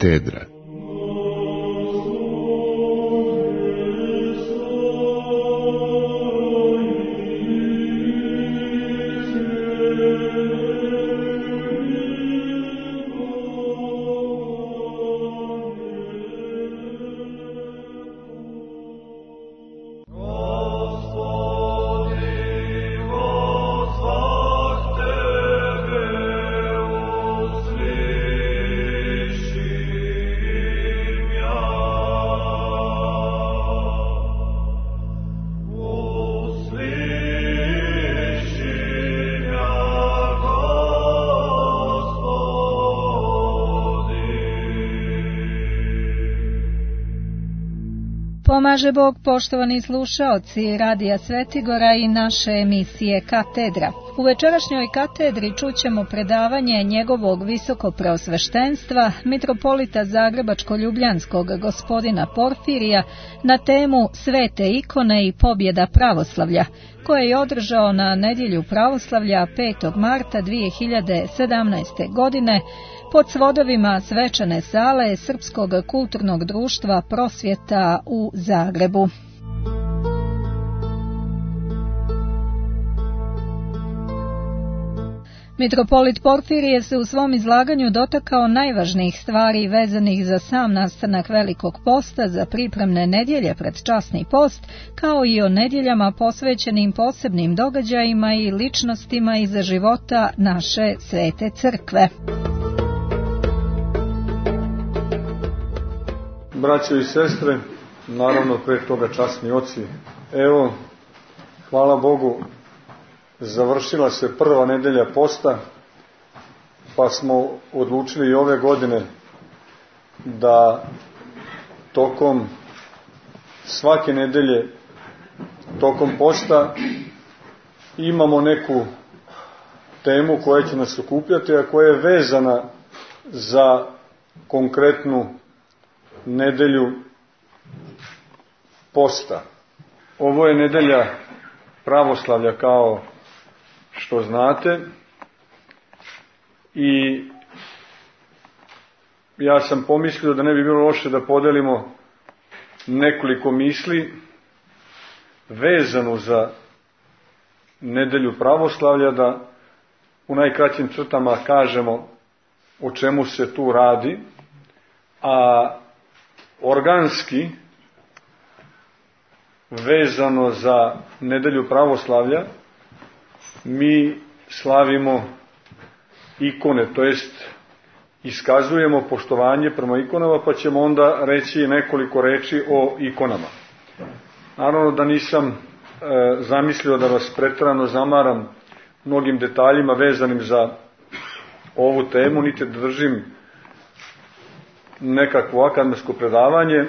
katedra. Pomaže Bog, poštovani slušaoci Radija Svetigora i naše emisije Katedra. U večerašnjoj katedri čućemo predavanje njegovog visokopreosveštenstva, mitropolita Zagrebačko-ljubljanskog gospodina Porfirija na temu Svete ikone i pobjeda pravoslavlja, koje je održao na nedjelju pravoslavlja 5. marta 2017. godine pod svodovima svečane sale Srpskog kulturnog društva Prosvjeta u Zagrebu. Mitropolit Porfirije se u svom izlaganju dotakao najvažnijih stvari vezanih za sam nastanak Velikog posta, za pripremne nedjelje pred časni post, kao i o nedjeljama posvećenim posebnim događajima i ličnostima iz života naše Svete Crkve. Braćo i sestre, naravno pre toga časni oci, evo, hvala Bogu, završila se prva nedelja posta, pa smo odlučili i ove godine da tokom svake nedelje, tokom posta, imamo neku temu koja će nas okupljati, a koja je vezana za konkretnu nedelju posta. Ovo je nedelja pravoslavlja, kao što znate, i ja sam pomislio da ne bi bilo loše da podelimo nekoliko misli vezano za nedelju pravoslavlja, da u najkraćim crtama kažemo o čemu se tu radi, a organski vezano za nedelju pravoslavlja mi slavimo ikone, to jest iskazujemo poštovanje prema ikonama, pa ćemo onda reći nekoliko reči o ikonama. Naravno da nisam zamislio da vas preterano zamaram mnogim detaljima vezanim za ovu temu, niti da držim nekakvo akademsko predavanje,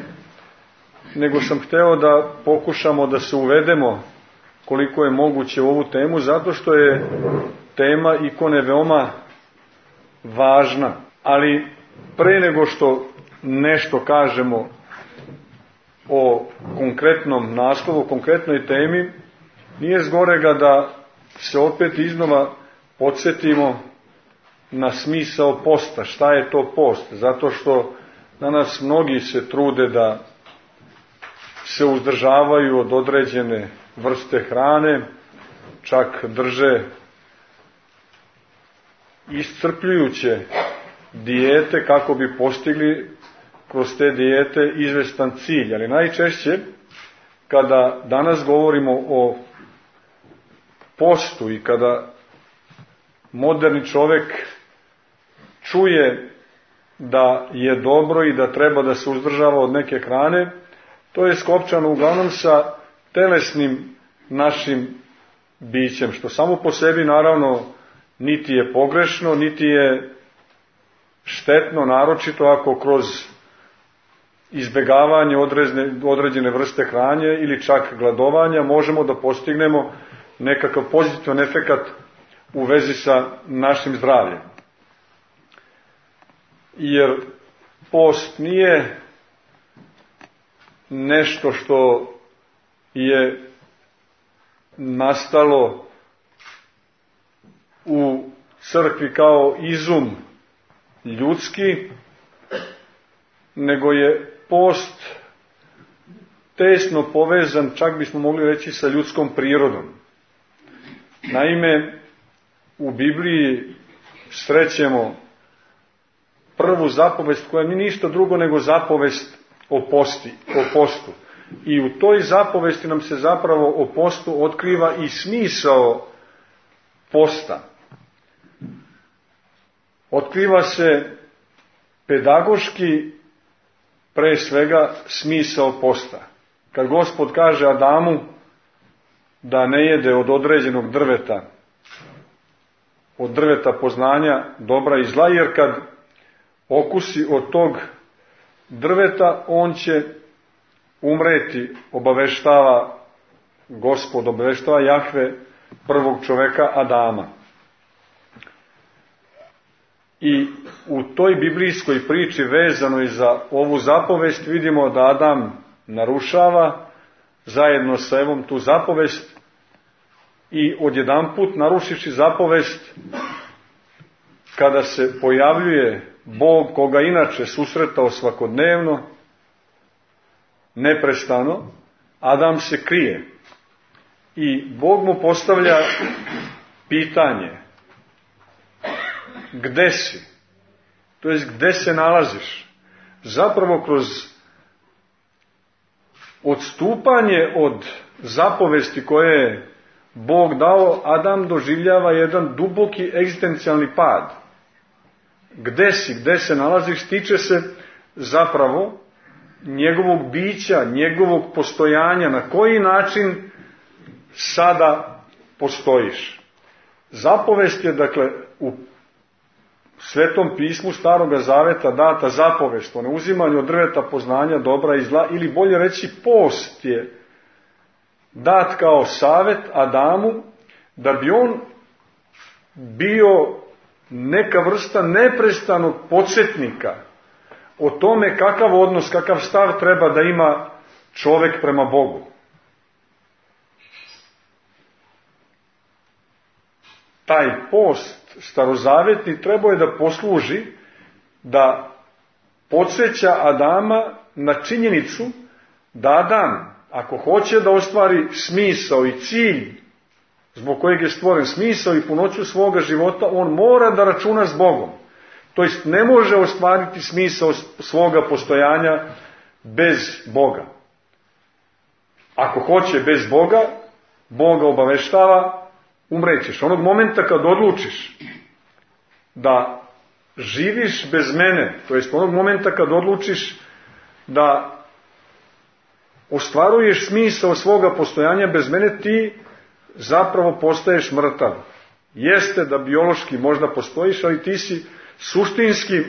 nego sam hteo da pokušamo da se uvedemo koliko je moguće u ovu temu, zato što je tema ikone veoma važna. Ali pre nego što nešto kažemo o konkretnom naslovu, o konkretnoj temi, nije zgorega da se opet iznova podsjetimo na smisao posta. Šta je to post? Zato što danas mnogi se trude da se uzdržavaju od određene vrste hrane, čak drže iscrpljujuće dijete kako bi postigli kroz te dijete izvestan cilj. Ali najčešće, kada danas govorimo o postu i kada moderni čovek čuje da je dobro i da treba da se uzdržava od neke hrane, to je skopčano uglavnom sa telesnim našim bićem, što samo po sebi naravno niti je pogrešno, niti je štetno, naročito ako kroz izbegavanje određene vrste hrane ili čak gladovanja možemo da postignemo nekakav pozitivan efekat u vezi sa našim zdravljem. Jer post nije nešto što je nastalo u crkvi kao izum ljudski, nego je post tesno povezan, čak bismo mogli reći, sa ljudskom prirodom. Naime, u Bibliji srećemo prvu zapovest koja nije ništa drugo nego zapovest o postu. I u toj zapovesti nam se zapravo o postu otkriva i smisao posta. Otkriva se pedagoški pre svega smisao posta. Kad Gospod kaže Adamu da ne jede od određenog drveta, od drveta poznanja dobra i zla, jer kad okusi od tog drveta, on će umreti, obaveštava Gospod, obaveštava Jahve prvog čoveka Adama. I u toj biblijskoj priči vezanoj za ovu zapovest vidimo da Adam narušava zajedno sa Evom tu zapovest i odjedanput narušivši zapovest, kada se pojavljuje Bog koga inače susretao svakodnevno, neprestano, Adam se krije i Bog mu postavlja pitanje: gde si? To jest, gde se nalaziš? Zapravo kroz odstupanje od zapovesti koje je Bog dao, Adam doživljava jedan duboki egzistencijalni pad. Gde si, gde se nalaziš, tiče se zapravo njegovog bića, njegovog postojanja, na koji način sada postojiš. Zapovest je, dakle, u Svetom pismu Staroga Zaveta data zapovest o neuzimanju od drveta poznanja dobra i zla, ili bolje reći post je dat kao savet Adamu, da bi on bio neka vrsta neprestanog podsjetnika o tome kakav odnos, kakav stav treba da ima čovek prema Bogu. Taj post starozavetni trebao je da posluži da podsjeća Adama na činjenicu da Adam, ako hoće da ostvari smisao i cilj zbog kojeg je stvoren, smisao i punoću svoga života, on mora da računa s Bogom. To jest, ne može ostvariti smisao svoga postojanja bez Boga. Ako hoće bez Boga, Boga obaveštava: umrećeš. Onog momenta kad odlučiš da živiš bez mene, to jest onog momenta kad odlučiš da ostvaruješ smisao svoga postojanja bez mene, ti zapravo postaješ mrtav. Jeste da biološki možda postojiš, ali ti si suštinski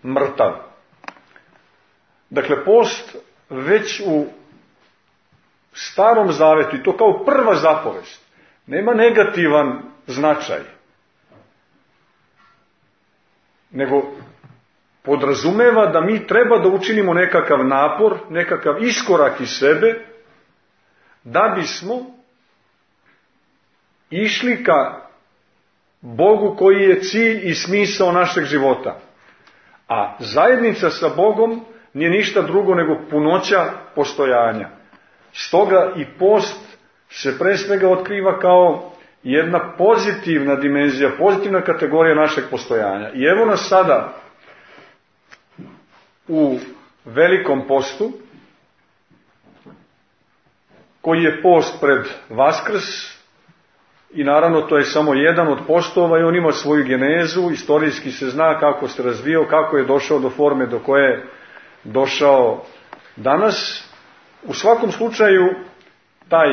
mrtav. Dakle, post već u Starom Zavetu, i to kao prva zapovest, nema negativan značaj, nego podrazumeva da mi treba da učinimo nekakav napor, nekakav iskorak iz sebe, da bismo išli ka Bogu koji je cilj i smisao našeg života. A zajednica sa Bogom nije ništa drugo nego punoća postojanja. Stoga i post se pre svega otkriva kao jedna pozitivna dimenzija, pozitivna kategorija našeg postojanja. I evo nas sada u Velikom postu, koji je post pred Vaskrs, i naravno to je samo jedan od postova i on ima svoju genezu, istorijski se zna kako se razvio, kako je došao do forme do koje je došao danas. U svakom slučaju, taj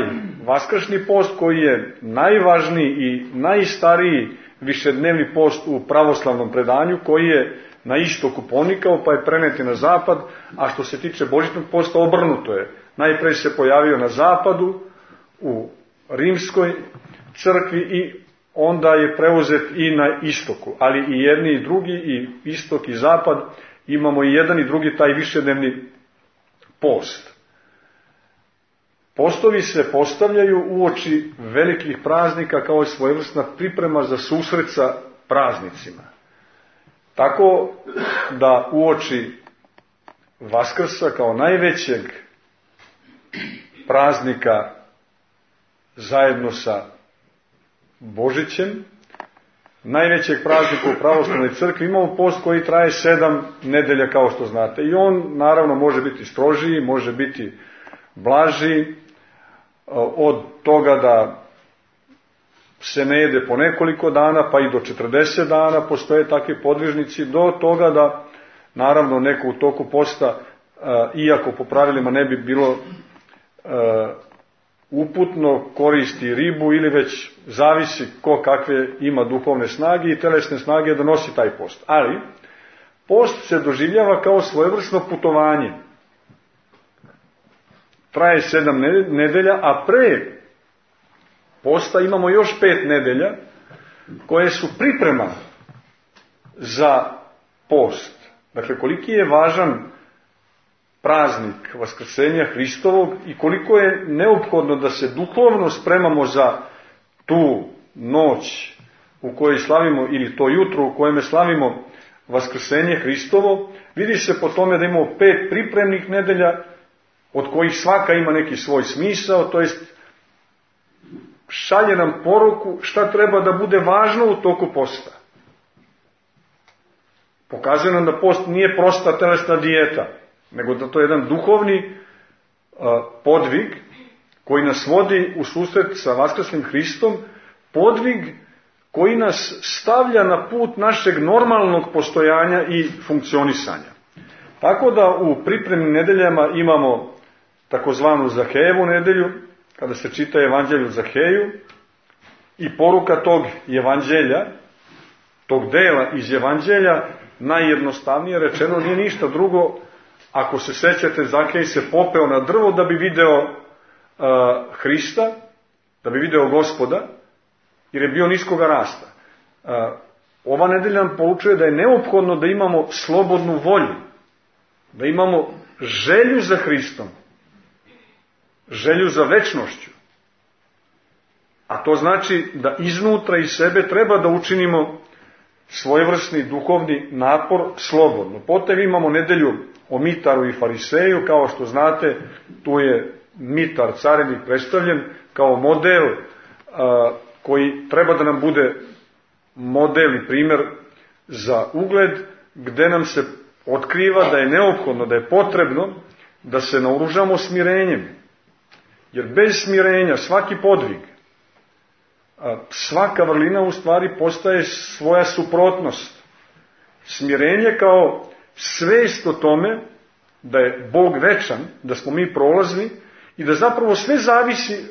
vaskršnji post, koji je najvažniji i najstariji višednevni post u pravoslavnom predanju, koji je na istoku ponikao pa je prenet na zapad, a što se tiče božićnog posta, obrnuto je. Najpre se pojavio na zapadu, u rimskoj crkvi, i onda je preuzet i na istoku. Ali i jedni i drugi, i istok i zapad, imamo i jedan i drugi taj višednevni post. Postovi se postavljaju uoči velikih praznika kao svojevrsna priprema za susret sa praznicima. Tako da uoči Vaskrsa kao najvećeg praznika zajedno sa Božićem, najvećeg praznika u pravoslavnoj crkvi, imamo post koji traje 7 nedelja, kao što znate. I on, naravno, može biti strožiji, može biti blažiji, od toga da se ne jede po nekoliko dana, pa i do 40 dana postoje takvi podvižnici, do toga da, naravno, neko u toku posta, iako po pravilima ne bi bilo uputno, koristi ribu ili već zavisi ko kakve ima duhovne snage i telesne snage da nosi taj post. Ali post se doživljava kao svojevrsno putovanje. Traje 7 nedelja, a pre posta imamo još 5 nedelja koje su priprema za post. Dakle, koliki je važan praznik Vaskrsenja Hristovog i koliko je neophodno da se duhovno spremamo za tu noć u kojoj slavimo, ili to jutro u kojem slavimo Vaskrsenje Hristovo, vidi se po tome da imamo 5 pripremnih nedelja, od kojih svaka ima neki svoj smisao, to jest šalje nam poruku šta treba da bude važno u toku posta. Pokazuje nam da post nije prosta telesna dijeta, nego da to je jedan duhovni podvig koji nas vodi u susret sa Vaskrslim Hristom, podvig koji nas stavlja na put našeg normalnog postojanja i funkcionisanja. Tako da u pripremnim nedeljama imamo takozvanu Zahejevu nedelju, kada se čita evanđelje Zaheju, i poruka tog evanđelja, tog dela iz evanđelja, najjednostavnije rečeno nije ništa drugo. Ako se sećate, Zahej se popeo na drvo da bi video Hrista, da bi video Gospoda, jer je bio niskoga rasta. Ova nedelja nam poučuje da je neophodno da imamo slobodnu volju, da imamo želju za Hristom, želju za večnošću. A to znači da iznutra iz sebe treba da učinimo svojevrsni duhovni napor slobodno. Potom imamo nedelju o Mitaru i Fariseju, kao što znate, tu je Mitar, carinik, predstavljen kao model koji treba da nam bude model i primjer za ugled, gde nam se otkriva da je neophodno, da je potrebno da se naoružamo smirenjem. Jer bez smirenja svaki podvig, svaka vrlina u stvari postaje svoja suprotnost. Smirenje kao svest o tome da je Bog večan, da smo mi prolazni i da zapravo sve zavisi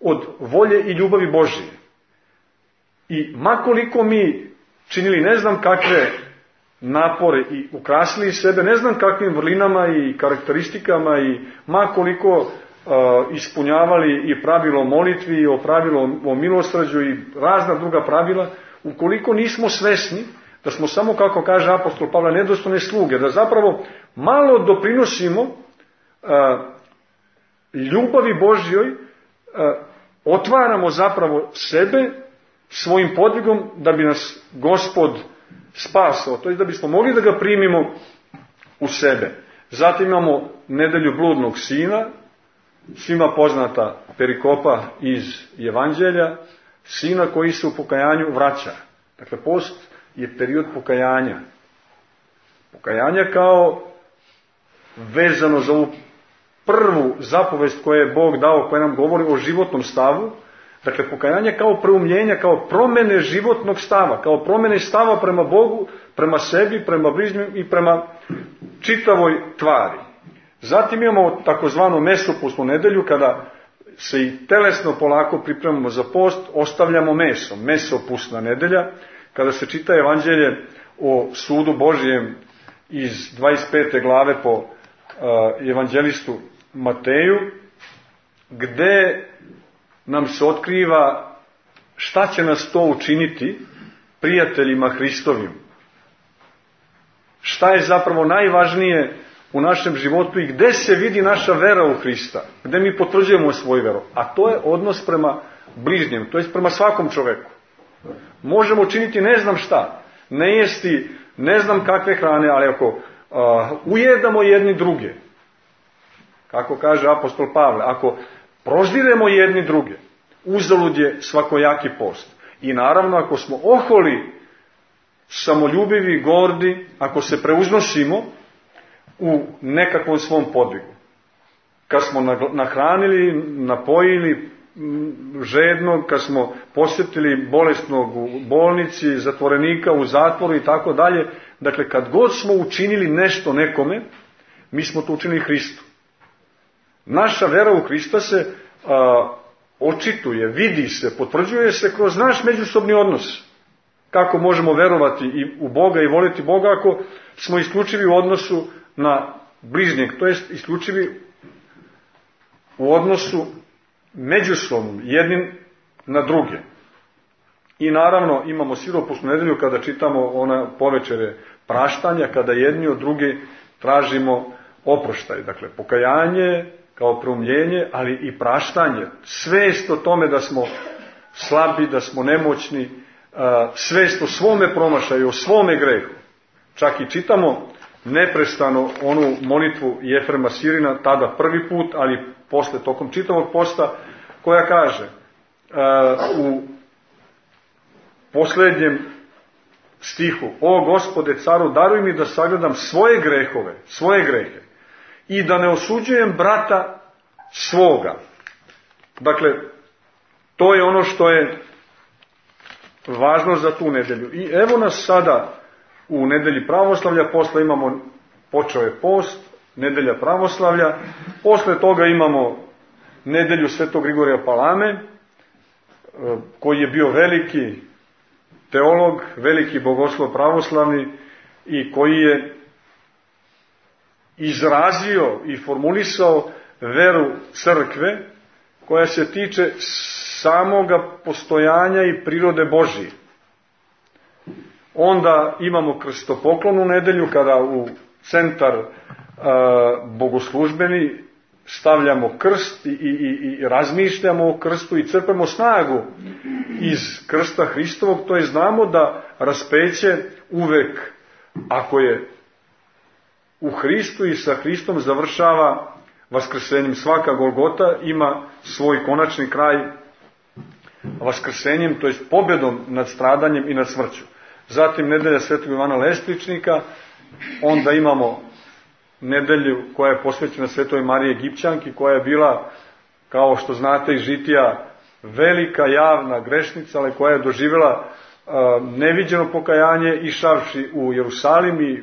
od volje i ljubavi Božije. I makoliko mi činili ne znam kakve napore i ukrasili sebe ne znam kakvim vrlinama i karakteristikama i makoliko ispunjavali i pravilo molitvi, o pravilo o milosrđu i razna druga pravila, ukoliko nismo svesni da smo samo, kako kaže apostol Pavle, nedostojne sluge, da zapravo malo doprinosimo ljubavi Božjoj, otvaramo zapravo sebe svojim podvigom da bi nas Gospod spasao, to je da bismo mogli da ga primimo u sebe. Zatim imamo nedelju bludnog sina, svima poznata perikopa iz evanđelja, sina koji se u pokajanju vraća. Dakle, post je period pokajanja. Pokajanja kao vezano za ovu prvu zapovest koju je Bog dao, koja nam govori o životnom stavu. Dakle, pokajanje kao preumljenja, kao promene životnog stava, kao promene stava prema Bogu, prema sebi, prema bližnjim i prema čitavoj tvari. Zatim imamo takozvanu mesopustnu nedelju, kada se i telesno polako pripremamo za post, ostavljamo meso. Mesopustna nedelja, kada se čita evanđelje o sudu Božijem iz 25. glave po evanđelistu Mateju, gde nam se otkriva šta će nas to učiniti prijateljima Hristovim. Šta je zapravo najvažnije u našem životu i gde se vidi naša vera u Hrista, gde mi potvrđujemo svoju veru. A to je odnos prema bližnjem, to je prema svakom čoveku. Možemo činiti ne znam šta, ne jesti ne znam kakve hrane, ali ako ujedamo jedni druge, kako kaže apostol Pavle, ako proždiremo jedni druge, uzalud je svakojaki post. I naravno, ako smo oholi, samoljubivi, gordi, ako se preuznosimo u nekakvom svom podvigu, kad smo nahranili, napojili žednog, kad smo posjetili bolesnog u bolnici, zatvorenika u zatvoru i tako dalje, dakle, kad god smo učinili nešto nekome, mi smo to učinili Hristu. Naša vera u Hrista se očituje, vidi se, potvrđuje se kroz naš međusobni odnos. Kako možemo verovati i u Boga i voliti Boga ako smo isključivi u odnosu na bližnjeg, to jest isključivi u odnosu međusobnom, jednim na druge. I naravno imamo siropusnu nedelju kada čitamo ona povečere praštanja, kada jedni od druge tražimo oproštaj. Dakle, pokajanje kao preumljenje, ali i praštanje. Svest o tome da smo slabi, da smo nemoćni, svest o svome promašaju, o svome grehu. Čak i čitamo neprestano onu molitvu Jefrema Sirina, tada prvi put, ali posle tokom čitavog posta, koja kaže u posljednjem stihu: O Gospode caru, daruj mi da sagledam svoje grehove, svoje grehe, i da ne osuđujem brata svoga. Dakle, to je ono što je važno za tu nedelju. I evo nas sada u nedelji pravoslavlja, posle imamo, počeo je post, nedelja pravoslavlja, posle toga imamo nedelju Svetog Grigorija Palame, koji je bio veliki teolog, veliki bogoslov pravoslavni i koji je izrazio i formulisao veru crkve koja se tiče samoga postojanja i prirode Božije. Onda imamo krstopoklonu nedelju, kada u centar bogoslužbeni stavljamo krst i razmišljamo o krstu i crpemo snagu iz krsta Hristovog, to je znamo da raspeće uvek, ako je u Hristu i sa Hristom, završava vaskrsenjem. Svaka Golgota ima svoj konačni kraj vaskrsenjem, to je pobjedom nad stradanjem i nad smrću. Zatim nedelja Svetog Ivana Lespličnika, onda imamo nedelju koja je posvećena Svetoj Mariji Egipćanki, koja je bila, kao što znate iz žitija, velika javna grešnica, ali koja je doživjela neviđeno pokajanje, išavši u Jerusalim, i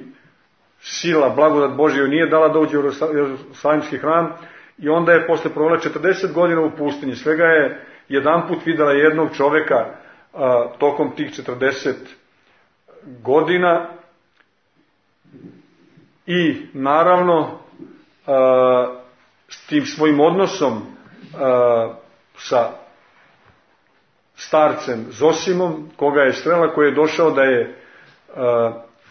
sila, blagodat Božja joj nije dala da uđe u Jerusalimski hram, i onda je posle provela 40 godina u pustinji. Svega je jedanput videla jednog čoveka tokom tih 40 godina, i naravno s tim svojim odnosom sa starcem Zosimom, koga je srela, koji je došao da je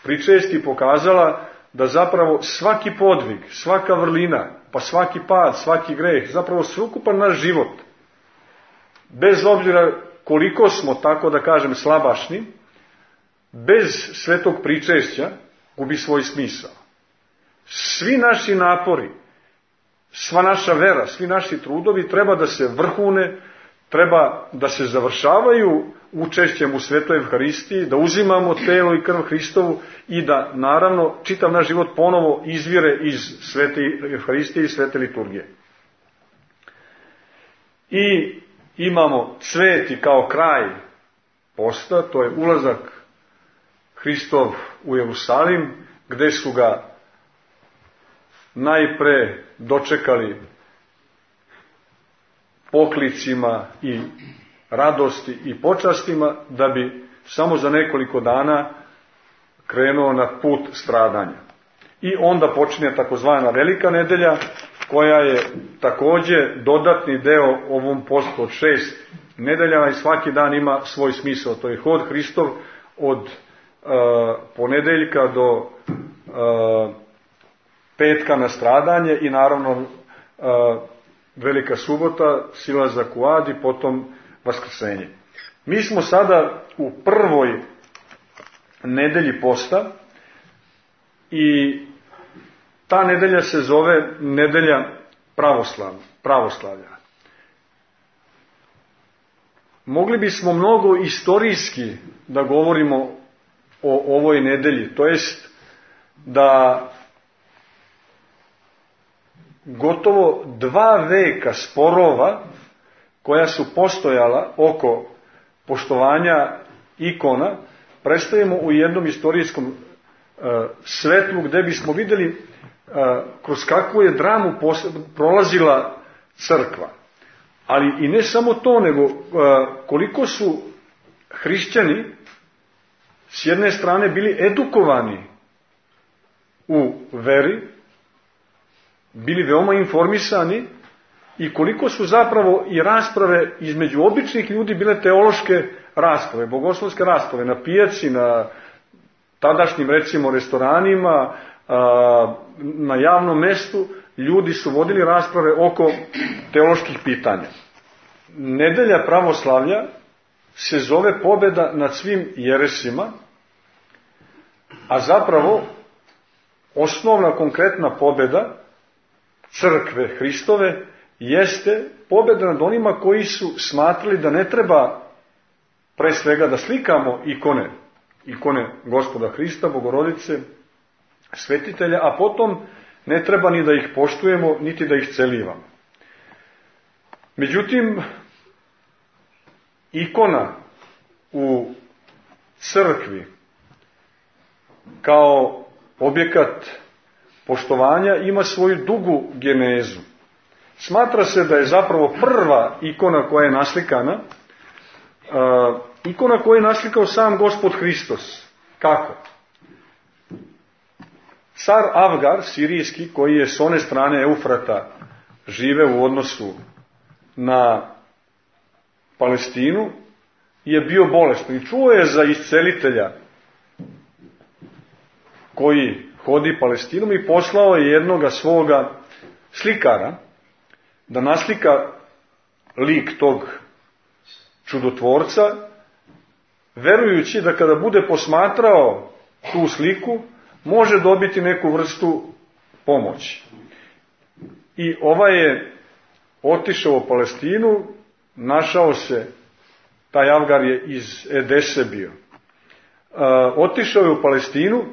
pričesti, pokazala da zapravo svaki podvig, svaka vrlina, pa svaki pad, svaki greh, zapravo sveukupan naš život, bez obzira koliko smo, tako da kažem, slabašni, bez svetog pričešća gubi svoj smisao. Svi naši napori, sva naša vera, svi naši trudovi treba da se vrhune, treba da se završavaju učešćem u Svetoj Evharistiji, da uzimamo telo i krv Hristovu i da, naravno, čitav naš život ponovo izvire iz Svete Evharistije i Svete liturgije. I imamo cveti kao kraj posta, to je ulazak Hristov u Jerusalim, gde su ga najpre dočekali poklicima i radosti i počastima, da bi samo za nekoliko dana krenuo na put stradanja. I onda počinje takozvana Velika nedelja, koja je takođe dodatni deo ovom postu od 6 nedeljama, i svaki dan ima svoj smisao. To je hod Hristov od ponedeljka do petka na stradanje, i naravno Velika subota, silazak u Ad, i potom vaskrsenje. Mi smo sada u prvoj nedelji posta i ta nedelja se zove nedelja pravoslavlja. Mogli bismo mnogo istorijski da govorimo o ovoj nedelji, to jest da gotovo 2 veka sporova koja su postojala oko poštovanja ikona predstavimo u jednom istorijskom svetlu gde bismo vidjeli kroz kakvu je dramu prolazila crkva. Ali i ne samo to, nego koliko su hrišćani s jedne strane bili edukovani u veri, bili veoma informisani i koliko su zapravo i rasprave između običnih ljudi bile teološke rasprave, bogoslovske rasprave na pijaci, na tadašnjim recimo restoranima, na javnom mestu, ljudi su vodili rasprave oko teoloških pitanja. Nedelja pravoslavlja se zove pobjeda nad svim jeresima, a zapravo osnovna konkretna pobjeda crkve Hristove jeste pobjeda nad onima koji su smatrali da ne treba pre svega da slikamo ikone Gospoda Hrista, Bogorodice, svetitelja, a potom ne treba ni da ih poštujemo, niti da ih celivamo. Međutim, ikona u crkvi kao objekat poštovanja ima svoju dugu genezu. Smatra se da je zapravo prva ikona koja je naslikana, ikona koju je naslikao sam Gospod Hristos. Kako? Car Avgar, sirijski, koji je s one strane Eufrata žive u odnosu na Palestinu, je bio bolestan i čuo je za iscelitelja koji hodi Palestinom i poslao je jednoga svoga slikara da naslika lik tog čudotvorca, verujući da kada bude posmatrao tu sliku, može dobiti neku vrstu pomoći. I ovaj je otišao u Palestinu, našao se, taj Avgar je iz Edese bio, otišao je u Palestinu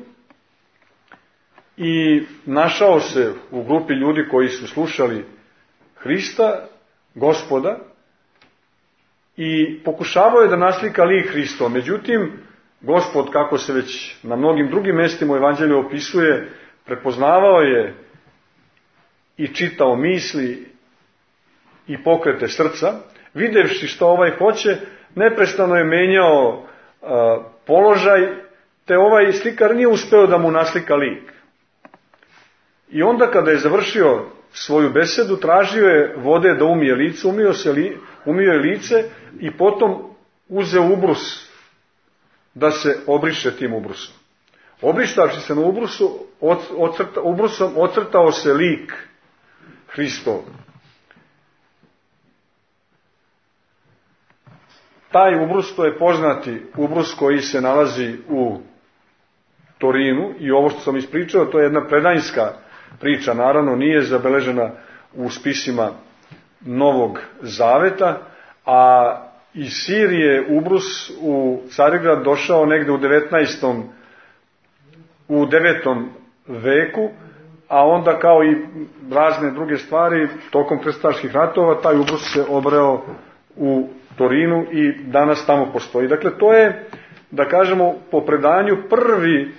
i našao se u grupi ljudi koji su slušali Hrista, Gospoda, i pokušavao je da naslika lik Hristov. Međutim, Gospod, kako se već na mnogim drugim mestima u Evanđelju opisuje, prepoznavao je i čitao misli i pokrete srca. Videvši što ovaj hoće, neprestano je menjao položaj, te ovaj slikar nije uspeo da mu naslika lik. I onda kada je završio svoju besedu, tražio je vode da umije lice, umio je lice i potom uzeo ubrus da se obriše tim ubrusom. Obrištavši se na ubrusom ocrtao se lik Hristov. Taj ubrus, to je poznati ubrus koji se nalazi u Torinu, i ovo što sam ispričao, to je jedna predajnska priča, naravno nije zabeležena u spisima Novog Zaveta, a iz Sirije ubrus u Carigrad došao negde u 9. veku, a onda kao i razne druge stvari, tokom krstaških ratova, taj ubrus se obreo u Torinu i danas tamo postoji. Dakle, to je, da kažemo, po predanju prvi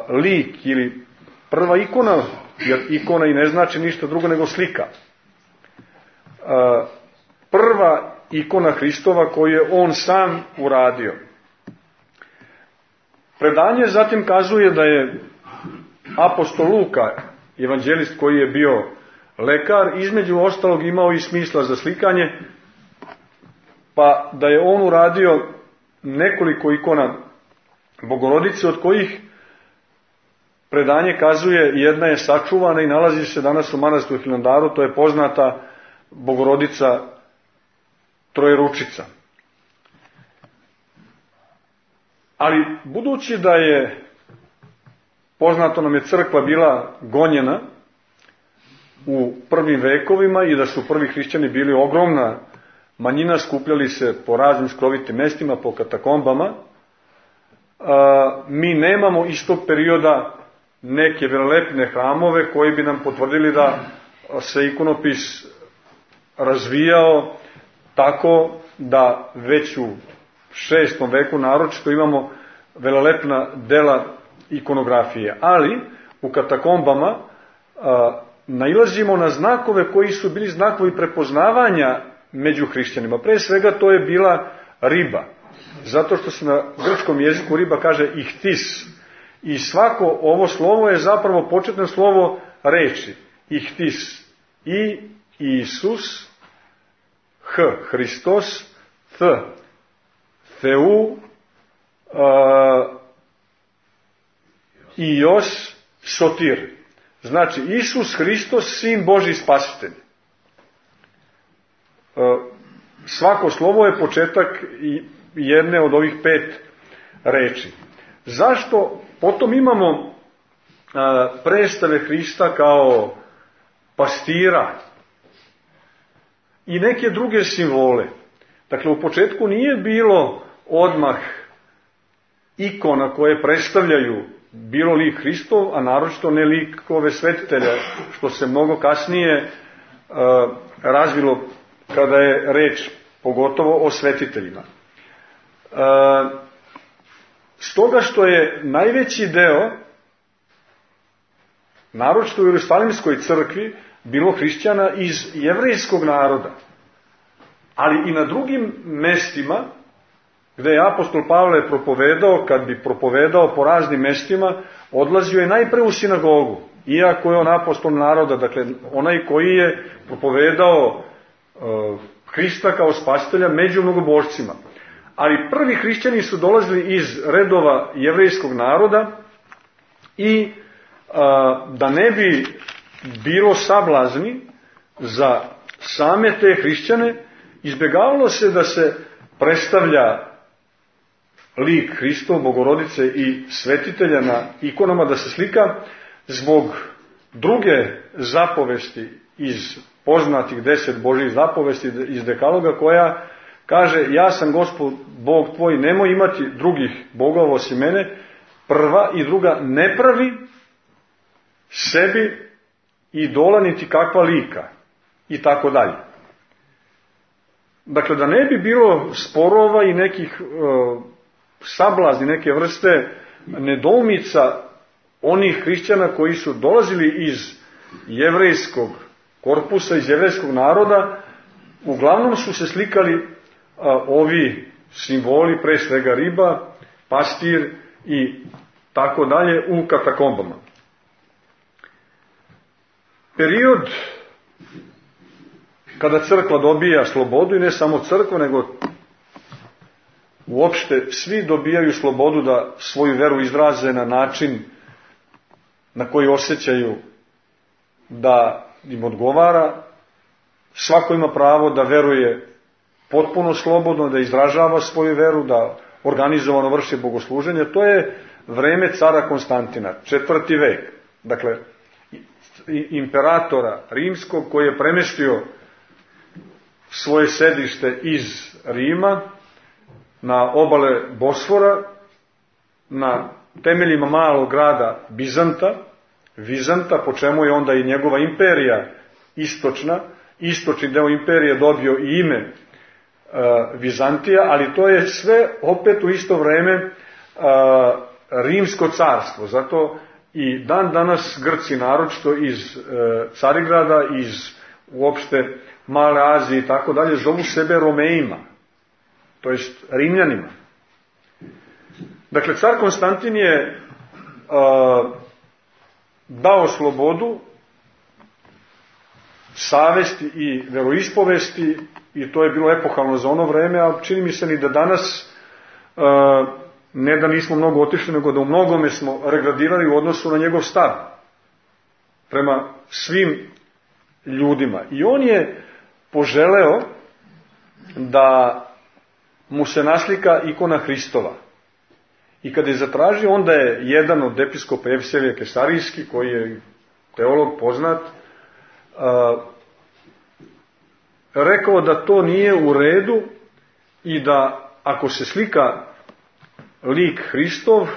lik ili prva ikona, jer ikona i ne znači ništa drugo nego slika. Prva ikona Hristova koju je on sam uradio. Predanje zatim kazuje da je apostol Luka, evanđelist koji je bio lekar, između ostalog imao i smisla za slikanje, pa da je on uradio nekoliko ikona Bogorodice, od kojih predanje kazuje jedna je sačuvana i nalazi se danas u manastiru Hilandaru, to je poznata Bogorodica Trojeručica. Ali budući da je poznato nam je crkva bila gonjena u prvim vekovima i da su prvi hrišćani bili ogromna manjina, skupljali se po raznim skrovitim mestima, po katakombama. Mi nemamo iz tog perioda neke velelepne hramove koji bi nam potvrdili da se ikonopis razvijao tako da već u 6. veku naročito imamo velelepna dela ikonografije. Ali u katakombama nailazimo na znakove koji su bili znakovi prepoznavanja među hrišćanima. Pre svega to je bila riba. Zato što se na grčkom jeziku riba kaže ihtis. I svako ovo slovo je zapravo početno slovo reči. Ihtis. I Isus, H, Hristos, Th, Theu, Ios, Sotir. Znači, Isus Hristos, Sin Božji Spasitelj. Svako slovo je početak jedne od ovih 5 reči. Zašto? Potom imamo predstave Hrista kao pastira i neke druge simbole. Dakle, u početku nije bilo odmah ikona koje predstavljaju bilo lik Hristov, a naročito ne likove svetitelja, što se mnogo kasnije razvilo kada je reč pogotovo o svetiteljima. Stoga što je najveći deo, naročito u Jerusalimskoj crkvi, bilo hrišćana iz jevrejskog naroda, ali i na drugim mestima gde je apostol Pavle propovedao, kad bi propovedao po raznim mestima, odlazio je najpre u sinagogu, iako je on apostol naroda, dakle onaj koji je propovedao Hrista kao spasitelja među mnogobožcima. Ali prvi hrišćani su dolazili iz redova jevrejskog naroda i da ne bi bilo sablazni za same te hrišćane, izbjegavalo se da se predstavlja lik Hristov, Bogorodice i svetitelja na ikonama, da se slika zbog druge zapovesti iz poznatih 10 Božjih zapovesti iz Dekaloga, koja kaže: ja sam Gospod Bog tvoj, nemoj imati drugih bogova osim mene, prva i druga ne pravi sebi idola niti kakva lika, i tako dalje. Dakle, da ne bi bilo sporova i nekih sablazni, neke vrste nedoumica onih hrišćana koji su dolazili iz jevrejskog korpusa, iz jevrejskog naroda, uglavnom su se slikali ovi simboli, pre svega riba, pastir i tako dalje, u katakombama. Period kada crkva dobija slobodu, i ne samo crkva, nego uopšte svi dobijaju slobodu da svoju veru izraze na način na koji osjećaju da im odgovara. Svako ima pravo da veruje potpuno slobodno, da izražava svoju veru, da organizovano vrši bogosluženje. To je vreme cara Konstantina, 4. vek. Dakle, imperatora rimskog, koji je premestio svoje sedište iz Rima na obale Bosfora, na temeljima malog grada Vizanta, po čemu je onda i njegova imperija istočni deo imperije dobio i ime Vizantija, ali to je sve opet u isto vreme rimsko carstvo. Zato i dan danas Grci, naročito iz Carigrada, iz uopšte Male Azije i tako dalje, zovu sebe Romejima, to jest Rimljanima. Dakle, car Konstantin je dao slobodu savesti i veroispovesti, i to je bilo epohalno za ono vreme, a čini mi se ni da danas ne da nismo mnogo otišli, nego da u mnogome smo regradirali u odnosu na njegov stav prema svim ljudima. I on je poželeo da mu se naslika ikona Hristova. I kada je zatražio, onda je jedan od episkopa Evselije Kesarijski, koji je teolog poznat, rekao da to nije u redu i da ako se slika lik Hristov,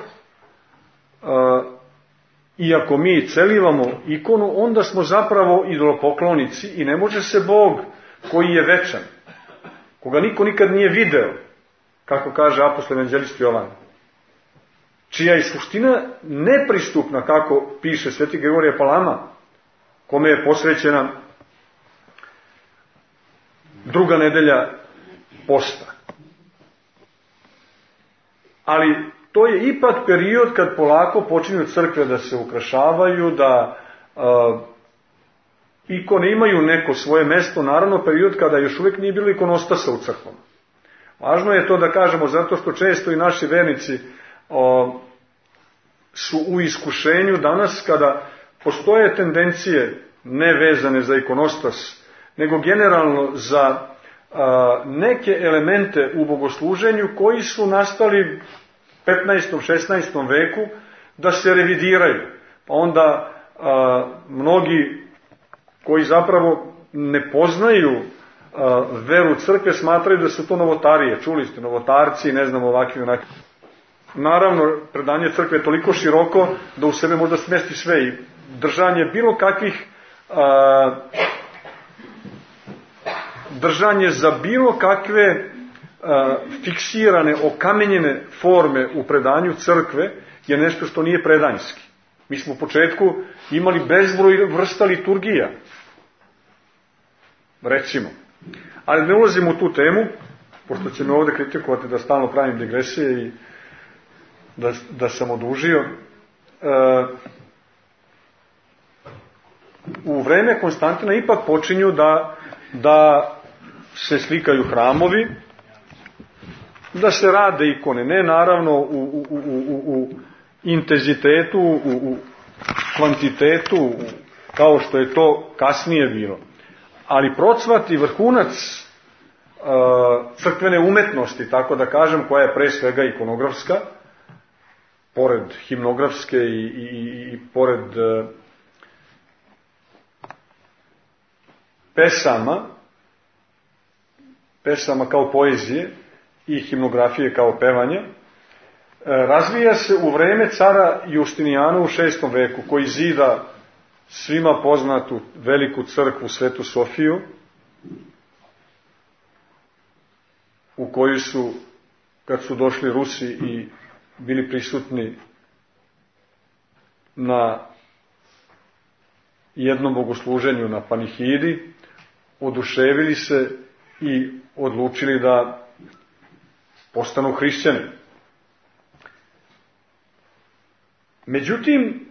i ako mi celivamo ikonu, onda smo zapravo idolopoklonici i ne može se Bog koji je večan, koga niko nikad nije video, kako kaže apostol evanđelist Jovan, čija je suština nepristupna, kako piše sveti Grigorije Palama, kome je posvećena druga nedelja posta. Ali to je ipak period kad polako počinju crkve da se ukrašavaju, da ikone imaju neko svoje mesto, naravno period kada još uvijek nije bilo ikonostasa u crkvom. Važno je to da kažemo, zato što često i naši vernici su u iskušenju danas kada postoje tendencije ne vezane za ikonostas, nego generalno za neke elemente u bogosluženju koji su nastali 15. 16. veku da se revidiraju. Pa onda mnogi koji zapravo ne poznaju veru crkve smatraju da su to novotarije. Čuli ste, novotarci, ne znam, ovakvi onakvi. Naravno, predanje crkve je toliko široko da u sebe možda smesti sve i držanje bilo kakvih držanje za bilo kakve fiksirane, okamenjene forme u predanju crkve je nešto što nije predanjski. Mi smo u početku imali bezbroj vrsta liturgija, recimo. Ali ne ulazimo u tu temu, pošto će me ovdje kritikovati da stalno pravim digresije i da sam odužio. U vreme Konstantina ipak počinju da se slikaju hramovi, da se rade ikone, ne naravno u intenzitetu, u kvantitetu, kao što je to kasnije bilo. Ali procvat i vrhunac crkvene umetnosti, tako da kažem, koja je pre svega ikonografska, pored himnografske i pored pesama kao poezije i himnografije kao pevanje, razvija se u vreme cara Justinijana u 6. veku, koji zida svima poznatu veliku crkvu Svetu Sofiju, u koju su, kad su došli Rusi i bili prisutni na jednom bogosluženju na panihidi, oduševili se i odlučili da postanu hrišćani. Međutim,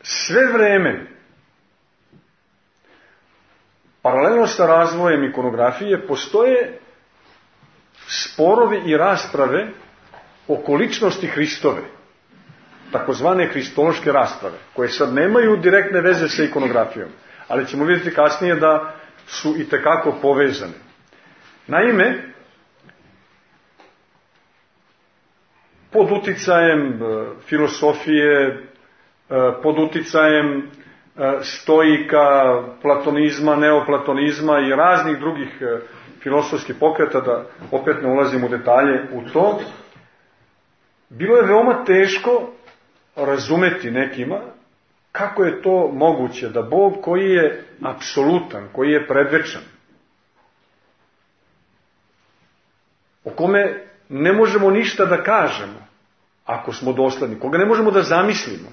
sve vreme, paralelno sa razvojem ikonografije, postoje sporovi i rasprave oko ličnosti Hristove, takozvane hristološke rasprave, koje sad nemaju direktne veze sa ikonografijom, ali ćemo vidjeti kasnije da su itekako povezane. Naime, pod uticajem filosofije, pod uticajem stoika, platonizma, neoplatonizma i raznih drugih filosofskih pokreta, da opet ne ulazim u detalje u to, bilo je veoma teško razumeti nekima kako je to moguće da Bog koji je apsolutan, koji je predvečan, o kome ne možemo ništa da kažemo ako smo dosledni, koga ne možemo da zamislimo,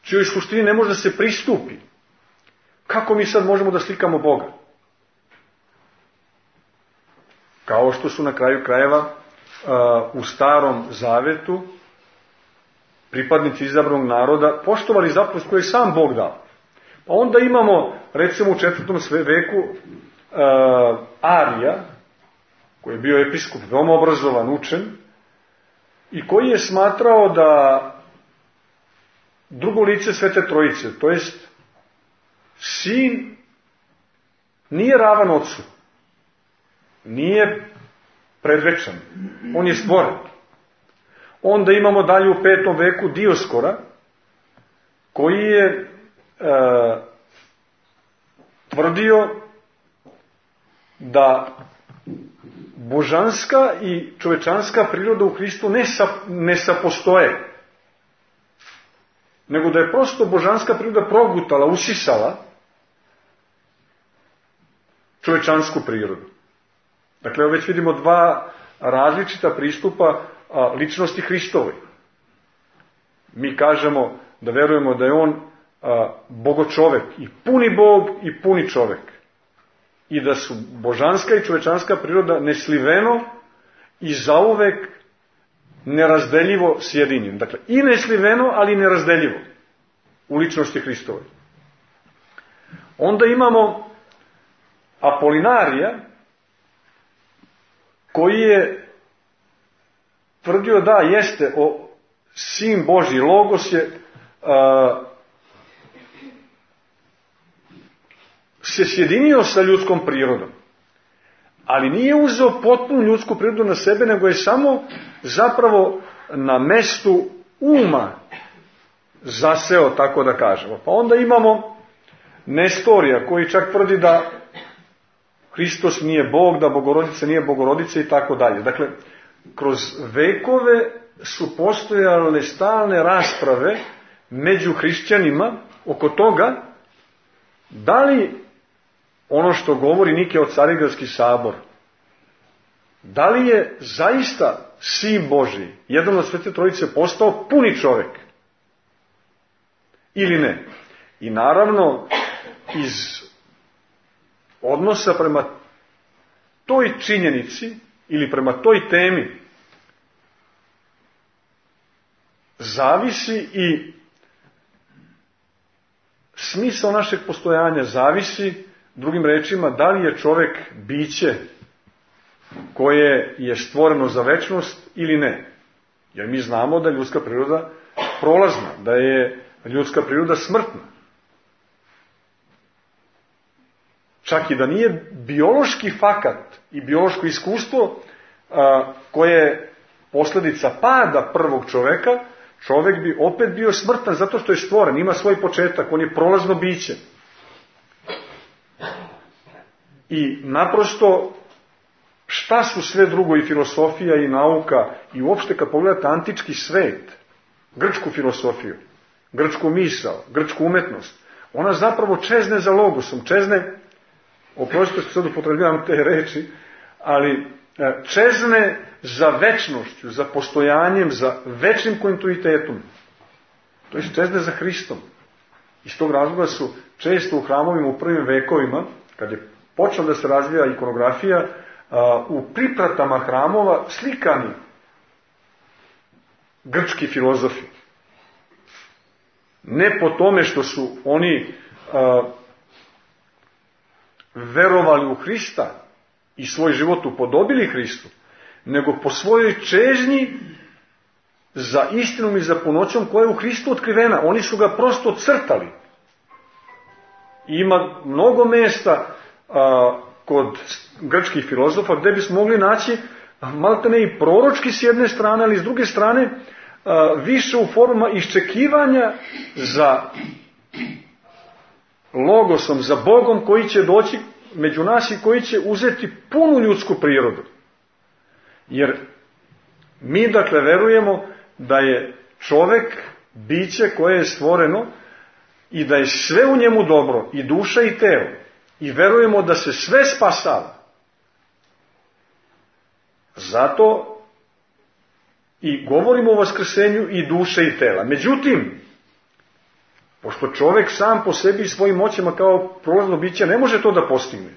čijoj suštini ne može da se pristupi, kako mi sad možemo da slikamo Boga? Kao što su na kraju krajeva u Starom Zavetu pripadnici izabranog naroda poštovali zapovest koju je sam Bog dao. Pa onda imamo, recimo u 4. veku, Arija, koji je bio episkop, veoma obrazovan, učen, i koji je smatrao da drugo lice Svete Trojice, to jest sin, nije ravan ocu, nije predvečan, on je stvoren. Onda imamo dalje u 5. veku Dioskora, koji je tvrdio da božanska i čovečanska priroda u Hristu ne sapostoje, nego da je prosto božanska priroda progutala, usisala čovečansku prirodu. Dakle, već vidimo dva različita pristupa ličnosti Hristovoj. Mi kažemo da verujemo da je on bogočovek, i puni Bog i puni čovek. I da su božanska i čovečanska priroda nesliveno i zauvek nerazdeljivo sjedinjeni. Dakle, i nesliveno, ali i nerazdeljivo u ličnosti Hristovoj. Onda imamo Apolinarija, koji je tvrdio da jeste sin Božji, Logos je se sjedinio sa ljudskom prirodom, ali nije uzeo potpunu ljudsku prirodu na sebe, nego je samo zapravo na mestu uma zaseo, tako da kažemo. Pa onda imamo Nestorija, koji čak tvrdi da Hristos nije Bog, da Bogorodica nije Bogorodica i tako dalje. Dakle, kroz vekove su postojale stalne rasprave među hrišćanima oko toga da li ono što govori Nikeo-Carigradski sabor, da li je zaista sin Božji, jedan od Svete Trojice, postao puni čovek ili ne. I naravno, iz odnosa prema toj činjenici ili prema toj temi zavisi i smisao našeg postojanja, zavisi, drugim rečima, da li je čovek biće koje je stvoreno za večnost ili ne. Jer mi znamo da je ljudska priroda prolazna, da je ljudska priroda smrtna. Čak i da nije biološki fakat i biološko iskustvo koje je posljedica pada prvog čoveka, čovek bi opet bio smrtan zato što je stvoren, ima svoj početak, on je prolazno biće. I naprosto, šta su sve drugo, i filosofija i nauka, i uopšte kad pogledate antički svet, grčku filosofiju, grčku misao, grčku umetnost, ona zapravo čezne za logosom, čezne, oprostite što sad upotrebljavam te reči, ali čezne za večnošću, za postojanjem, za večnim kontinuitetom. To je čezne za Hristom. Iz tog razloga su često u hramovima u prvim vekovima, kad je počela da se razvija ikonografija, u pripratama hramova slikani grčki filozofi. Ne po tome što su oni verovali u Hrista i svoj život upodobili Hristu, nego po svojoj čežnji za istinom i za punoćom koja je u Hristu otkrivena. Oni su ga prosto crtali. Ima mnogo mesta kod grčkih filozofa gde bismo mogli naći maltene i proročki s jedne strane, ali s druge strane više u formama iščekivanja za logosom, za Bogom koji će doći među nas i koji će uzeti punu ljudsku prirodu. Jer mi dakle verujemo da je čovek biće koje je stvoreno i da je sve u njemu dobro, i duša i telo. I verujemo da se sve spasava. Zato i govorimo o vaskrsenju i duše i tela. Međutim, pošto čovek sam po sebi i svojim moćima kao prolazno biće ne može to da postigne,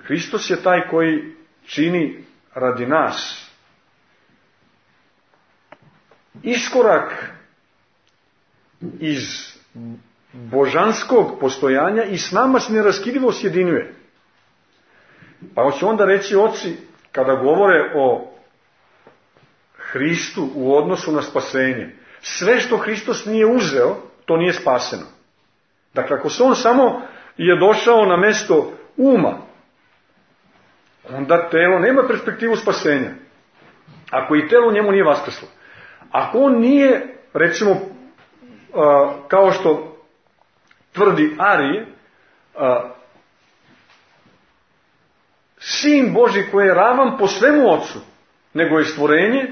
Hristos je taj koji čini radi nas iskorak iz božanskog postojanja i s nama se neraskidivo sjedinjuje. Pa hoće onda reći oci, kada govore o Hristu u odnosu na spasenje, sve što Hristos nije uzeo, to nije spaseno. Dakle, ako se on samo je došao na mesto uma, onda telo nema perspektivu spasenja. Ako i telo njemu nije vaskrslo. Ako on nije, recimo, kao što tvrdi Arije, sin Božji koji je ravan po svemu ocu, nego je stvorenje,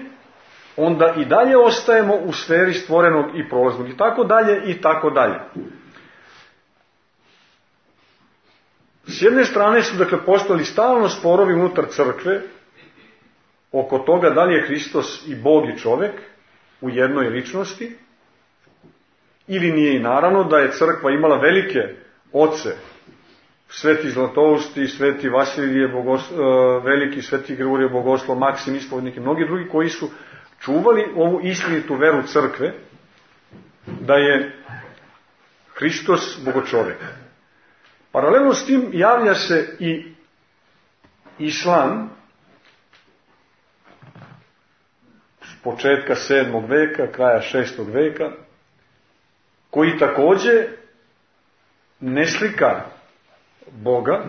onda i dalje ostajemo u sferi stvorenog i prolaznog i tako dalje i tako dalje. S jedne strane su dakle postojali stalno sporovi unutar crkve oko toga da li je Hristos i Bog i čovjek u jednoj ličnosti ili nije, i naravno da je crkva imala velike oce, Sveti Zlatousti, Sveti Vasilije Veliki, Sveti Grigorije Bogoslov, Maksim Ispovednik i mnogi drugi koji su čuvali ovu istinitu veru crkve da je Hristos Bogočovjek. Paralelno s tim javlja se i islam s početka 7. veka, kraja 6. veka, koji također ne slika Boga,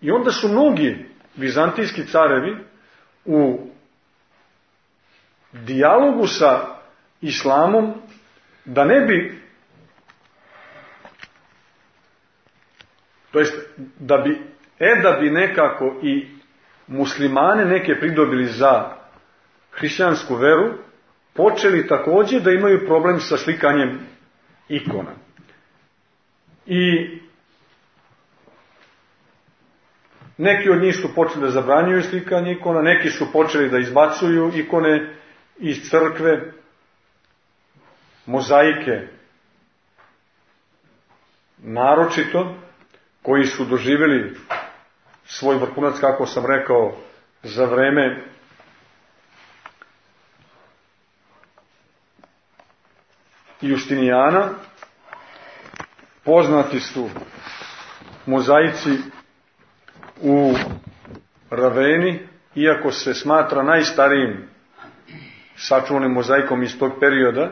i onda su mnogi vizantijski carevi u dijalogu sa islamom, da ne bi, to jest da bi nekako i muslimane neke pridobili za hrišćansku veru, počeli također da imaju problem sa slikanjem ikona. I neki od njih su počeli da zabranjuju slikanje ikona, neki su počeli da izbacuju ikone iz crkve, mozaike naročito, koji su doživjeli svoj vrhunac, kako sam rekao, za vreme Justinijana. Poznati su mozaici u Raveni, iako se smatra najstarijim sačuvanim mozaikom iz tog perioda,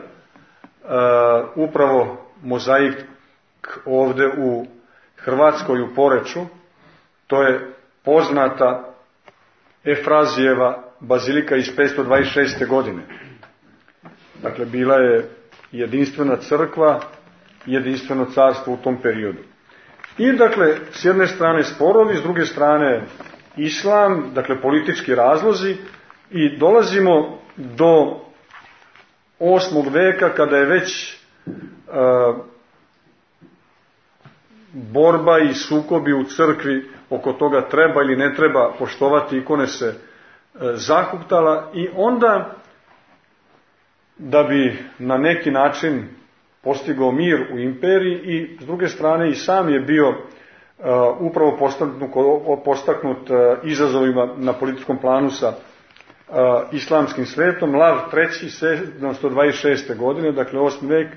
upravo mozaik ovdje u Hrvatskoj u Poreču, to je poznata Efrazijeva bazilika iz 526. godine. Dakle, bila je jedinstvena crkva, jedinstveno carstvo u tom periodu. I dakle, s jedne strane sporovi, s druge strane islam, dakle politički razlozi, i dolazimo do 8. veka kada je već borba i sukobi u crkvi oko toga treba ili ne treba poštovati ikone se zahuktala, i onda da bi na neki način postigao mir u imperiji, i s druge strane i sam je bio upravo postaknut izazovima na političkom planu sa islamskim svetom. Lav III. 726. godine, dakle 8. vek,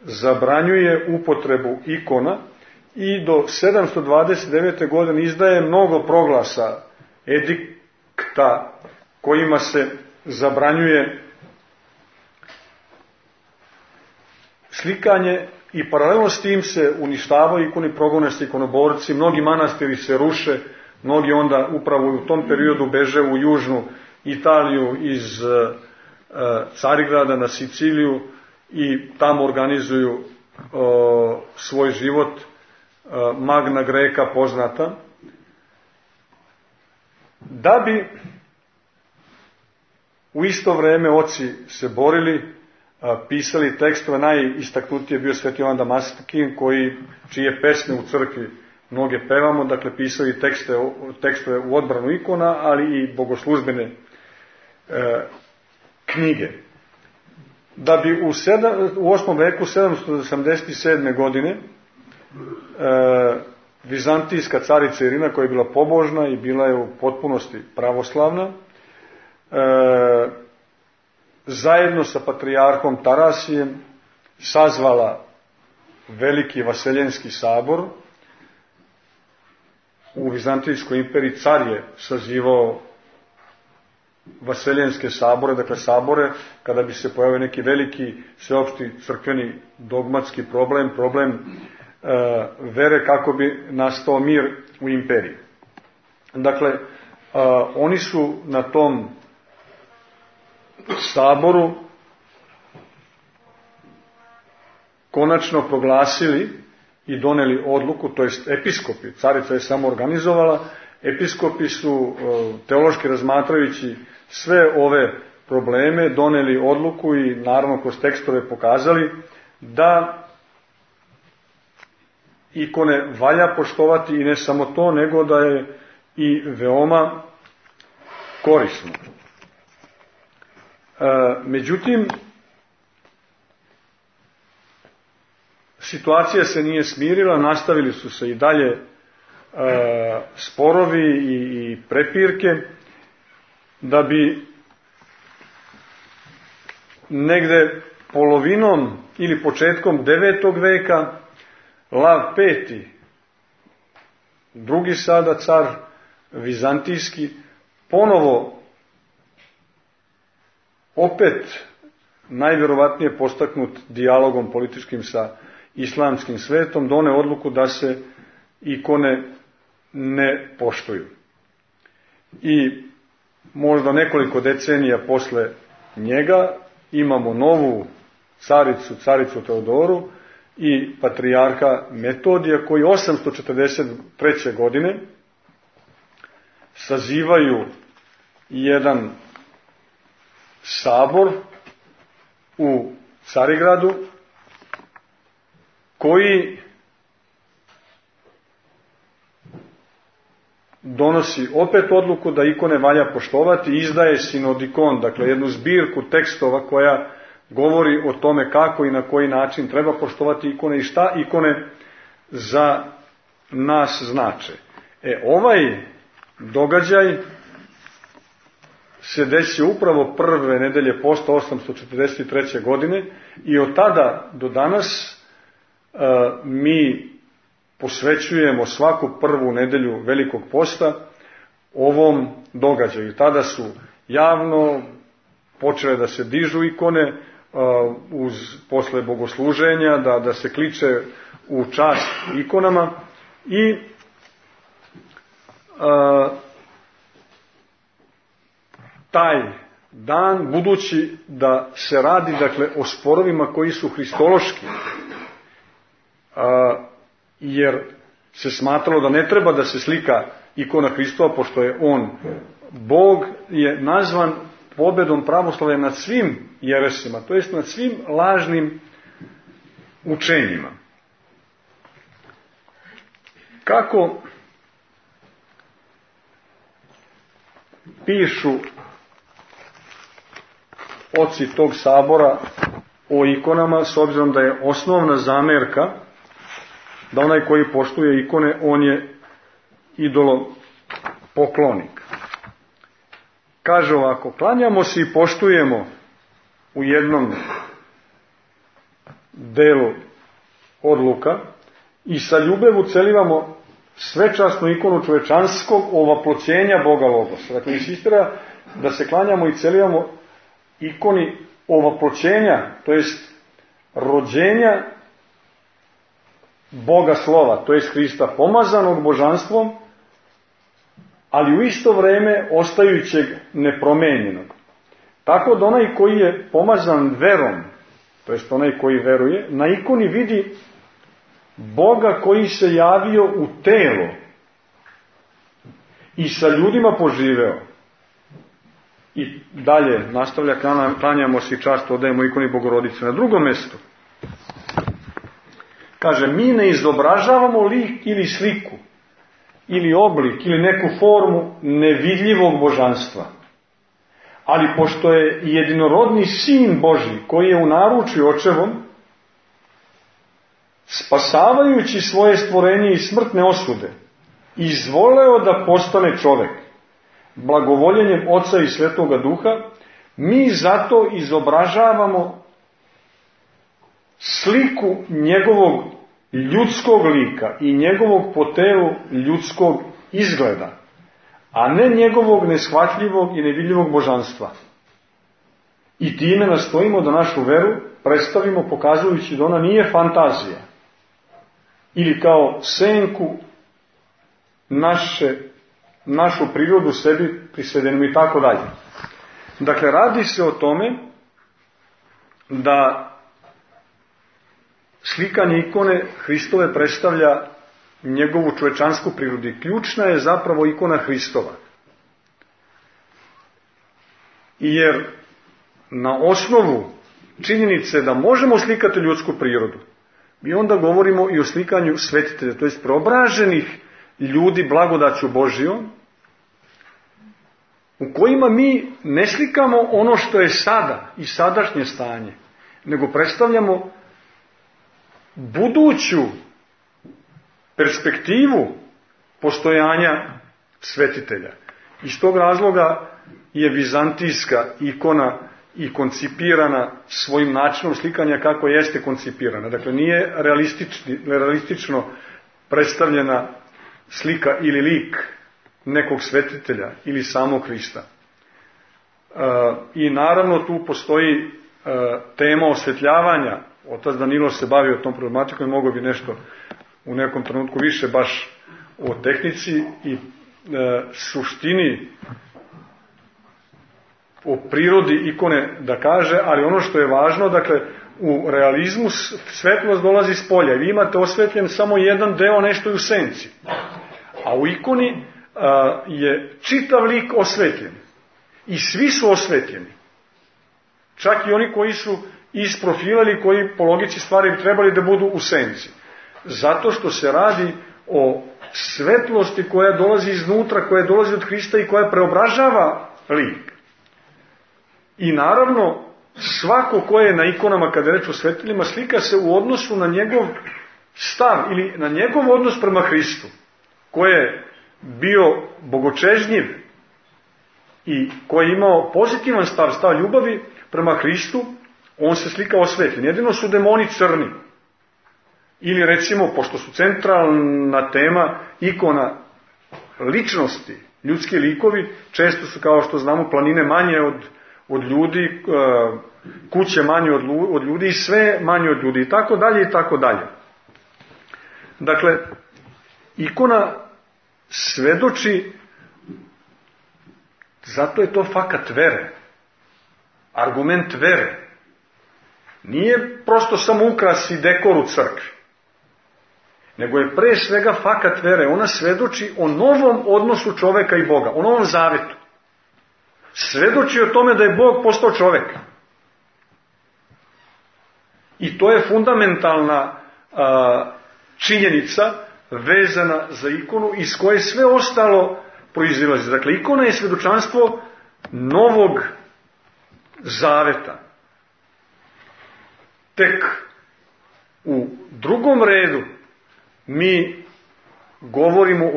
zabranjuje upotrebu ikona i do 729. godine izdaje mnogo proglasa, edikta, kojima se zabranjuje slikanje, i paralelno s tim se uništavaju ikoni, progone se ikonoborci, mnogi manastiri se ruše, mnogi onda upravo u tom periodu beže u južnu Italiju iz Carigrada na Siciliju i tamo organizuju svoj život, Magna Greka poznata, da bi u isto vrijeme oci se borili, pisali tekstove. Najistaknutiji je bio Sveti Jovan Damaskin, čije pesme u crkvi mnoge pevamo, dakle pisali tekstove u odbranu ikona, ali i bogoslužbene knjige. Da bi u 8. veku 787. godine vizantijska carica Irina, koja je bila pobožna i bila je u potpunosti pravoslavna, zajedno sa patrijarhom Tarasijem sazvala veliki Vaseljenski sabor. U Vizantijskoj imperiji car je sazivao Vaseljenske sabore, dakle sabore kada bi se pojavio neki veliki sveopšti crkveni dogmatski problem vere, kako bi nastao mir u imperiji. Dakle, oni su na tom saboru konačno proglasili i doneli odluku, to jest episkopi, carica je samo organizovala, episkopi su teološki razmatrajući sve ove probleme doneli odluku i naravno kroz tekstove pokazali da ikone valja poštovati i ne samo to, nego da je i veoma korisno. Međutim, situacija se nije smirila, nastavili su se i dalje sporovi i prepirke, da bi negde polovinom ili početkom 9. veka Lav V, drugi sada car vizantijski, ponovo opet najvjerovatnije postaknut dijalogom političkim sa islamskim svetom, done odluku da se ikone ne poštuju. I možda nekoliko decenija posle njega imamo novu caricu Teodoru i patrijarha Metodija, koji 843. godine sazivaju jedan sabor u Carigradu, koji donosi opet odluku da ikone valja poštovati i izdaje sinodikon, dakle jednu zbirku tekstova koja govori o tome kako i na koji način treba poštovati ikone i šta ikone za nas znače. Ovaj događaj se desio upravo prve nedelje posta 843. godine i od tada do danas mi posvećujemo svaku prvu nedelju Velikog posta ovom događaju. Tada su javno počele da se dižu ikone posle bogosluženja, da se kliče u čast ikonama i taj dan, budući da se radi dakle o sporovima koji su hristološki, jer se smatralo da ne treba da se slika ikona Hristova, pošto je on Bog, je nazvan pobedom pravoslavlja nad svim jeresima, to jest nad svim lažnim učenjima. Kako pišu oci tog sabora o ikonama, s obzirom da je osnovna zamerka da onaj koji poštuje ikone, on je idolopoklonik. Kaže ovako: klanjamo se i poštujemo u jednom delu odluka i sa ljubev ucelivamo svečasnu ikonu čovečanskog ovaploćenja Boga Logosa. Dakle, insistira da se klanjamo i celivamo ikoni ovaploćenja, to jest rođenja Boga Slova, to jest Hrista, pomazanog božanstvom, ali u isto vreme ostajućeg nepromenjenog. Tako da onaj koji je pomazan verom, to jest onaj koji veruje, na ikoni vidi Boga koji se javio u telo i sa ljudima poživeo. I dalje nastavlja: klanjamo se i čast odajemo ikoni Bogorodice. Na drugom mjestu kaže: mi ne izobražavamo lik ili sliku ili oblik ili neku formu nevidljivog božanstva, ali pošto je jedinorodni Sin Božji, koji je u naručju Očevom, spasavajući svoje stvorenje iz smrtne osude, izvoleo da postane čovek blagovoljenjem Oca i Svetoga Duha, mi zato izobražavamo sliku njegovog ljudskog lika i njegovog po telu ljudskog izgleda, a ne njegovog neshvatljivog i nevidljivog božanstva. I time nastojimo da našu veru predstavimo pokazujući da ona nije fantazija ili kao senku našu prirodu sebi prisvedenu i tako dalje. Dakle, radi se o tome da slikanje ikone Hristove predstavlja njegovu čovečansku prirodu. Ključna je zapravo ikona Hristova. Jer na osnovu činjenice da možemo slikati ljudsku prirodu, mi onda govorimo i o slikanju svetitelja, to jest preobraženih ljudi blagodaću Božijom, u kojima mi ne slikamo ono što je sada i sadašnje stanje, nego predstavljamo buduću perspektivu postojanja svetitelja. Iz tog razloga je vizantijska ikona i koncipirana svojim načinom slikanja kako jeste koncipirana. Dakle, nije realistično predstavljena slika ili lik nekog svetitelja ili samog Hrista. I naravno tu postoji tema osvetljavanja. Otac Danilo se bavio tom problematikom i mogao bi nešto u nekom trenutku više baš o tehnici i suštini, o prirodi ikone da kaže, ali ono što je važno, dakle, u realizmu svetlost dolazi s polja. Vi imate osvetljen samo jedan deo, nešto je u senci. A u ikoni je čitav lik osvetljen. I svi su osvetljeni. Čak i oni koji su iz profila ili koji po logici stvari bi trebali da budu u senci. Zato što se radi o svetlosti koja dolazi iznutra, koja dolazi od Hrista i koja preobražava lik. I naravno, svako ko je na ikonama, kada je reč o sveteljima, slika se u odnosu na njegov stav ili na njegov odnos prema Hristu, koji je bio bogočežnjiv i koji je imao pozitivan stav ljubavi prema Hristu, on se slika osvetljen. Jedino su demoni crni. Ili recimo, pošto su centralna tema ikona ličnosti, ljudski likovi, često su, kao što znamo, planine manje od ljudi, kuće manje od ljudi i sve manje od ljudi i tako dalje i tako dalje. Dakle, ikona svedoči, zato je to fakat vere, argument vere. Nije prosto samo ukras i dekor u crkvi, nego je pre svega fakat vere. Ona svedoči o novom odnosu čoveka i Boga, o novom zavetu. Svedoči o tome da je Bog postao čovek. I to je fundamentalna činjenica vezana za ikonu iz koje sve ostalo proizilazi. Dakle, ikona je svedočanstvo novog zaveta. Tek u drugom redu mi govorimo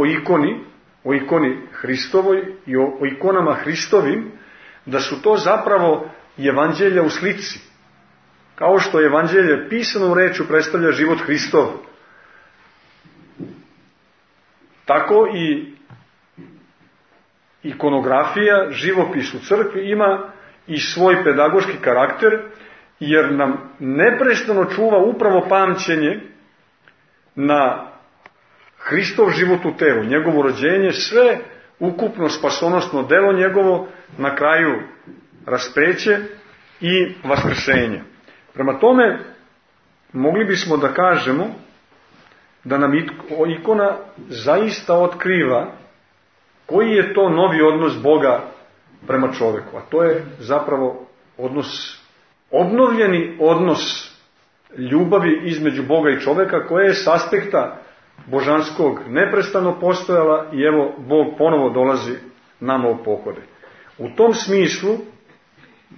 o ikoni Hristovoj i o ikonama Hristovim, da su to zapravo evanđelja u slici. Kao što evanđelje pisanom rečju predstavlja život Hristov, tako i ikonografija, živopis u crkvi ima i svoj pedagoški karakter, jer nam neprestano čuva upravo pamćenje na Hristov život u telu, njegovo rođenje, sve ukupno spasonosno delo njegovo, na kraju raspeće i vaskrsenje. Prema tome, mogli bismo da kažemo da nam ikona zaista otkriva koji je to novi odnos Boga prema čoveku, a to je zapravo obnovljeni odnos ljubavi između Boga i čoveka, koja je s aspekta božanskog neprestano postojala i evo Bog ponovo dolazi nama u pohode. U tom smislu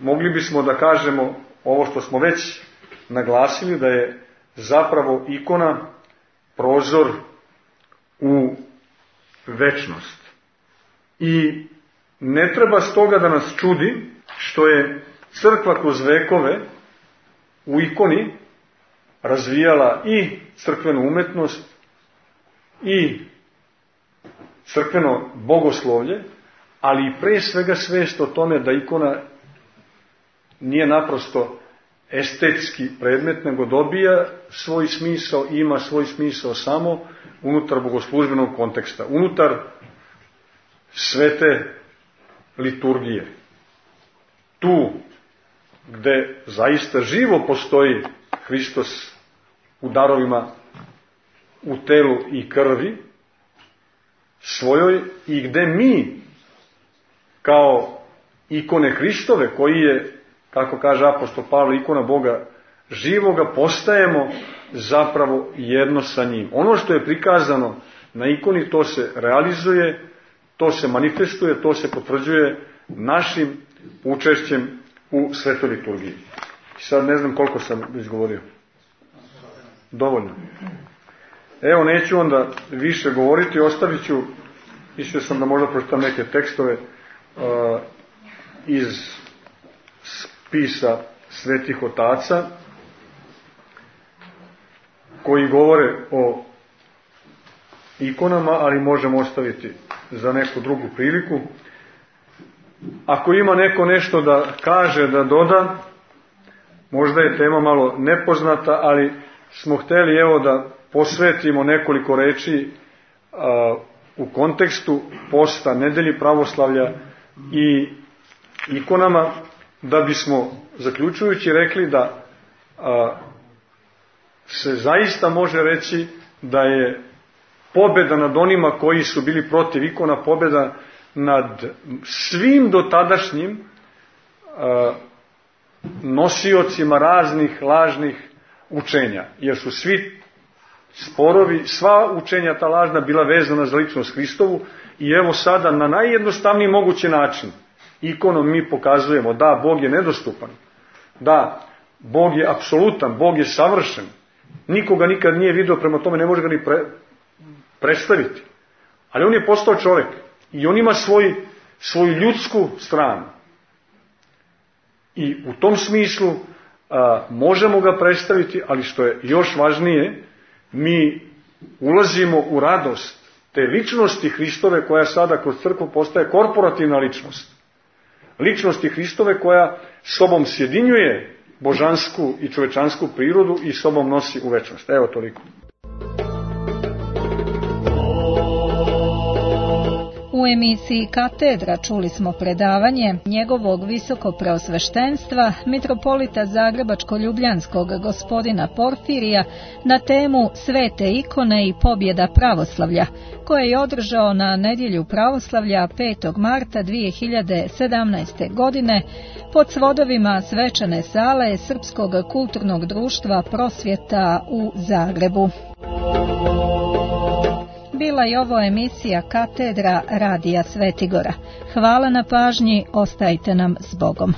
mogli bismo da kažemo ovo što smo već naglasili, da je zapravo ikona prozor u večnost. I ne treba stoga da nas čudi što je crkva kroz vekove u ikoni razvijala i crkvenu umetnost i crkveno bogoslovlje, ali i pre svega svest o tome da ikona nije naprosto estetski predmet, nego dobija svoj smisao i ima svoj smisao samo unutar bogoslužbenog konteksta, unutar svete liturgije. Tu gde zaista živo postoji Hristos u darovima u telu i krvi svojoj i gde mi kao ikone Hristove, koji je, kako kaže apostol Pavle, ikona Boga živoga, postajemo zapravo jedno sa njim. Ono što je prikazano na ikoni, to se realizuje, to se manifestuje, to se potvrđuje našim učešćem u svetoj liturgiji. Sad ne znam koliko sam izgovorio. Dovoljno. Evo, neću onda više govoriti, ostavit ću, mislio sam da možda pročitam neke tekstove iz spisa svetih otaca, koji govore o ikonama, ali možemo ostaviti za neku drugu priliku. Ako ima neko nešto da kaže, da doda, možda je tema malo nepoznata, ali smo hteli evo da posvetimo nekoliko reči u kontekstu posta nedelji pravoslavlja i ikonama, da bismo zaključujući rekli da se zaista može reći da je pobjeda nad onima koji su bili protiv ikona, pobjeda nad svim dotadašnjim nosiocima raznih lažnih učenja, jer su svi sporovi, sva učenja ta lažna bila vezana za ličnost Hristovu i evo sada na najjednostavniji mogući način ikonom mi pokazujemo da Bog je nedostupan, da Bog je apsolutan, Bog je savršen, nikoga nikad nije vidio, prema tome ne može ga ni predstaviti, ali on je postao čovjek i on ima svoju ljudsku stranu i u tom smislu možemo ga predstaviti, ali što je još važnije, mi ulazimo u radost te ličnosti Hristove koja sada kroz crkvu postaje korporativna ličnost. Ličnosti Hristove koja sobom sjedinjuje božansku i čovečansku prirodu i sobom nosi u večnost. Evo toliko. U emisiji Katedra čuli smo predavanje njegovog visokopreosveštenstva mitropolita Zagrebačko-ljubljanskog gospodina Porfirija na temu Svete ikone i pobjeda pravoslavlja, koje je održao na nedjelju pravoslavlja 5. marta 2017. godine pod svodovima svečane sale Srpskog kulturnog društva Prosvjeta u Zagrebu. Bila je ovo emisija Katedra Radija Svetigora. Hvala na pažnji, ostajte nam s Bogom.